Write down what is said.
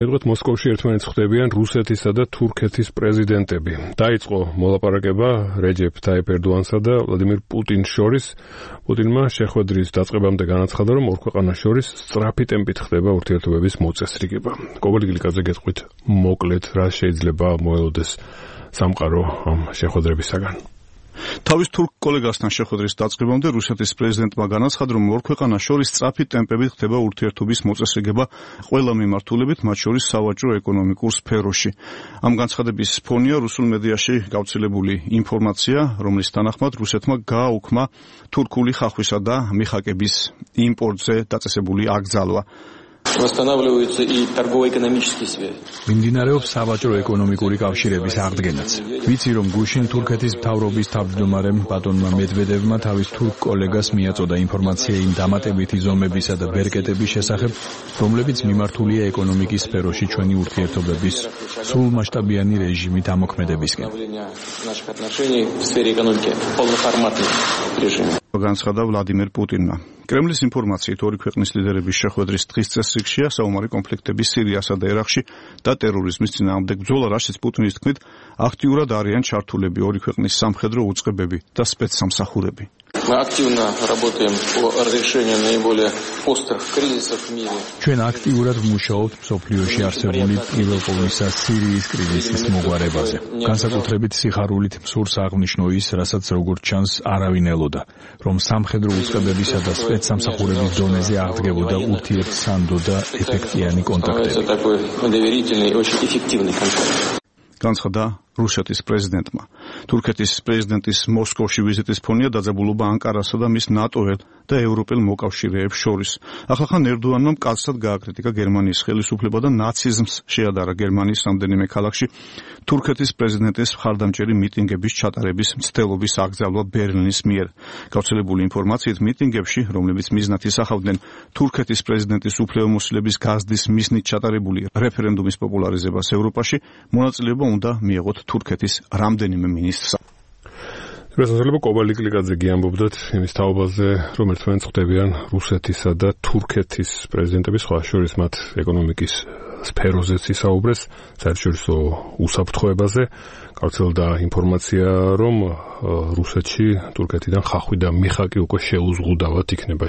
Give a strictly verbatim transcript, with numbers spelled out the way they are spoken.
ერთგვარად მოსკოვში ერთმანეთს ხვდებიან რუსეთისა და თურქეთის პრეზიდენტები. დაიწყო მოლაპარაკება რეჯეფ თაიფ ერდოანსა და ვლადიმირ პუტინს შორის. პუტინმა შეხვედრის დაწყებამდე განაცხადა, რომ ორ ქვეყანას შორის სწრაფი ტემპით ხდება ურთიერთობების მოწესრიგება. კობალი გლიკაძე გეტყვით მოკლედ რა შეიძლება მოელოდეს სამყარო ამ შეხვედრებისაგან. თავის თურქ კოლეგასთან შეხვედრის დაწყებამდე რუსეთის პრეზიდენტმა განაცხადა, რომ ორ ქვეყანას შორის სწრაფი ტემპებით ხდება ურთიერთობის მოწესრიგება ყველა მიმართულებით, მათ შორის სავაჭრო ეკონომიკურ სფეროში. ამ განცხადების ფონია რუსულ მედიაში გავრცელებული ინფორმაცია, რომლის თანახმად რუსეთმა გააუქმა თურქული ხახვისა და მიხაკების იმპორტზე დაწესებული აკრძალვა. Восстанавливаются и торгово-экономические связи. მიმდინარეობს სავაჭრო-ეკონომიკური კავშირების აღდგენაც. ვიცი, რომ გუშინ თურქეთის მთავრობის თავმჯდომარემ ბატონმა მედვედევმა თავის თურქ კოლეგას მიაწოდა ინფორმაცია იმ დამატებითი ზომებისა და ბერკეტების შესახებ, რომლებიც მიმართულია ეკონომიკის სფეროში ჩვენი ურთიერთობების სრულმასშტაბიანი რეჟიმით ამოქმედებისკენ. განცხადა ვლადიმერ პუტინმა. კრემლის ინფორმაციით ორი ქვეყნის ლიდერების შეხვედრის დღის წესრიგშია საომარი კონფლიქტები სირიასა და ერაყში და ტერორიზმის წინააღმდეგ ბრძოლა, რაშიც პუტინის თქმით აქტიურად არიან ჩართულები ორი ქვეყნის სამხედრო უწყებები და სპეცსამსახურები. Мы активно работаем по разрешению наиболее острых кризисов в мире. ჩვენ აქტიურად ვმუშაობთ მსოფლიოში არსებული პირველ ყოვლისა სირიის კრიზისის მოგვარებაზე. განსაკუთრებით სიხარულით მსურს აღნიშნო ის, რასაც როგორც ჩანს არავინ ელოდა, რომ სამხედრო უწყებებისა და სპეცსამსახურების დონეზე აღდგებოდა ურთიერთსანდო და ეფექტიანი კონტაქტები. განცხადა რუსეთის პრეზიდენტმა. თურქეთის პრეზიდენტის მოსკოვში ვიზიტის ფონია დაძაბულობა ანკარასა და მის ნატოელ და ევროპელ მოკავშირეებს შორის. ახალხან ერდოანმა მკაცრად გააკრიტიკა გერმანიის ხელისუფლება და ნაციზმს შეადარა გერმანიის რამდენიმე ქალაქში თურქეთის პრეზიდენტის მხარდამჭერი მიტინგების ჩატარების მცდელობის აკრძალვა ბერლინის მიერ. გავრცელებული ინფორმაციით მიტინგებში, რომლებიც მიზნად ისახავდნენ თურქეთის პრეზიდენტის უფლებამოსილების გაზრდის მიზნით ჩატარებული რეფერენდუმის პოპულარიზებას ევროპაში, მონაწილეობა უნდა მიეღოთ თურქეთის რამდენიმე მინისტრს. შესაძლოა კობალი გლიკაძე გიამბობდათ იმის თაობაზე, რომ ერთმანეთს ხვდებიან რუსეთისა და თურქეთის პრეზიდენტები, სხვა შორის მათ ეკონომიკის სფეროზეც ისაუბრეს, საერთაშორისო უსაფრთხოებაზე. გავრცელდა ინფორმაცია, რომ რუსეთში თურქეთიდან ხახვი და მიხაკი უკვე შეუზღუდავად იქნება